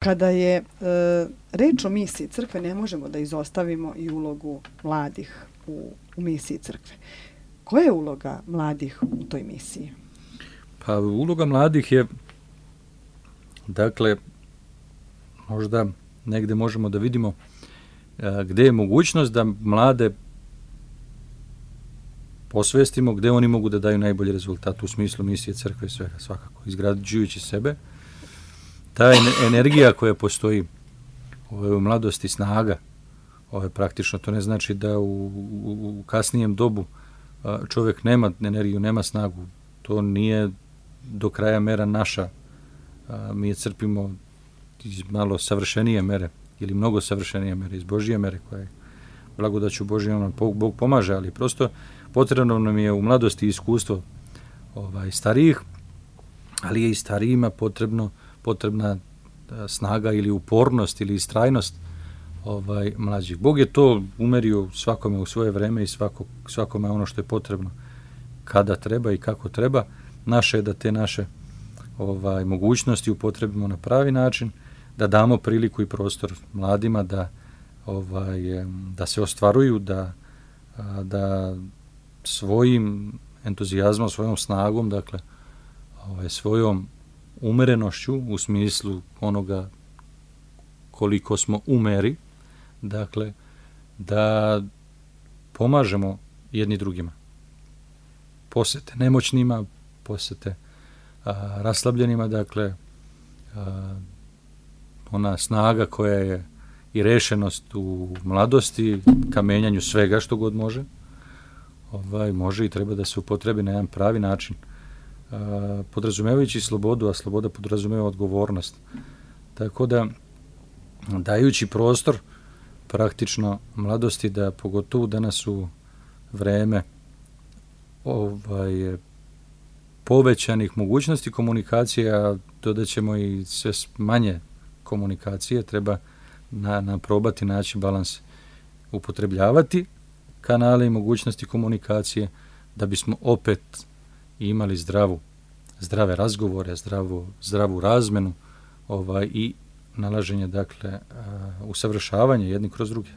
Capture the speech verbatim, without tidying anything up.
Kada je e, reč o misiji crkve, ne možemo da izostavimo i ulogu mladih u, u misiji crkve. Koja je uloga mladih u toj misiji? Pa uloga mladih je, dakle, možda negde možemo da vidimo a, gde je mogućnost da mlade posvestimo, gde oni mogu da daju najbolji rezultat u smislu misije crkve i svega, svakako, izgrađujući sebe. Ta energija koja postoji u mladosti, snaga, ovo je praktično, to ne znači da u, u, u kasnijem dobu čovjek nema energiju, nema snagu. To nije do kraja mera naša. Mi je crpimo iz malo savršenije mere ili mnogo savršenije mere, iz Božije mere koja je blagodaću Božijom, Bog pomaže, ali prosto potrebno nam je u mladosti iskustvo ovaj, starijih, ali je i starijima potrebno potrebna snaga ili upornost ili istrajnost ovaj, mlađih. Bog je to umerio svakome u svoje vreme i svako, svakome ono što je potrebno kada treba i kako treba. Naše je da te naše ovaj, mogućnosti upotrebimo na pravi način, da damo priliku i prostor mladima da, ovaj, da se ostvaruju, da, da svojim entuzijazmom, svojom snagom, dakle, ovaj, svojom umerenošću u smislu onoga koliko smo umeri, dakle, da pomažemo jedni drugima. Posete nemoćnima, posete a, raslabljenima, dakle, a, ona snaga koja je i rešenost u mladosti, ka menjanju svega što god može, ovaj, može i treba da se upotrebi na jedan pravi način, a, podrazumevajući slobodu, a sloboda podrazumeva odgovornost. Tako da, dajući prostor praktično mladosti da pogotovo danas u vreme ovaj, povećanih mogućnosti komunikacije, a dodat ćemo i sve manje komunikacije, treba na, na probati naći balans, upotrebljavati kanale i mogućnosti komunikacije da bismo opet imali zdravu, zdrave razgovore, zdravu, zdravu razmenu ovaj, i nalaženje, dakle, usavršavanje jedni kroz druge.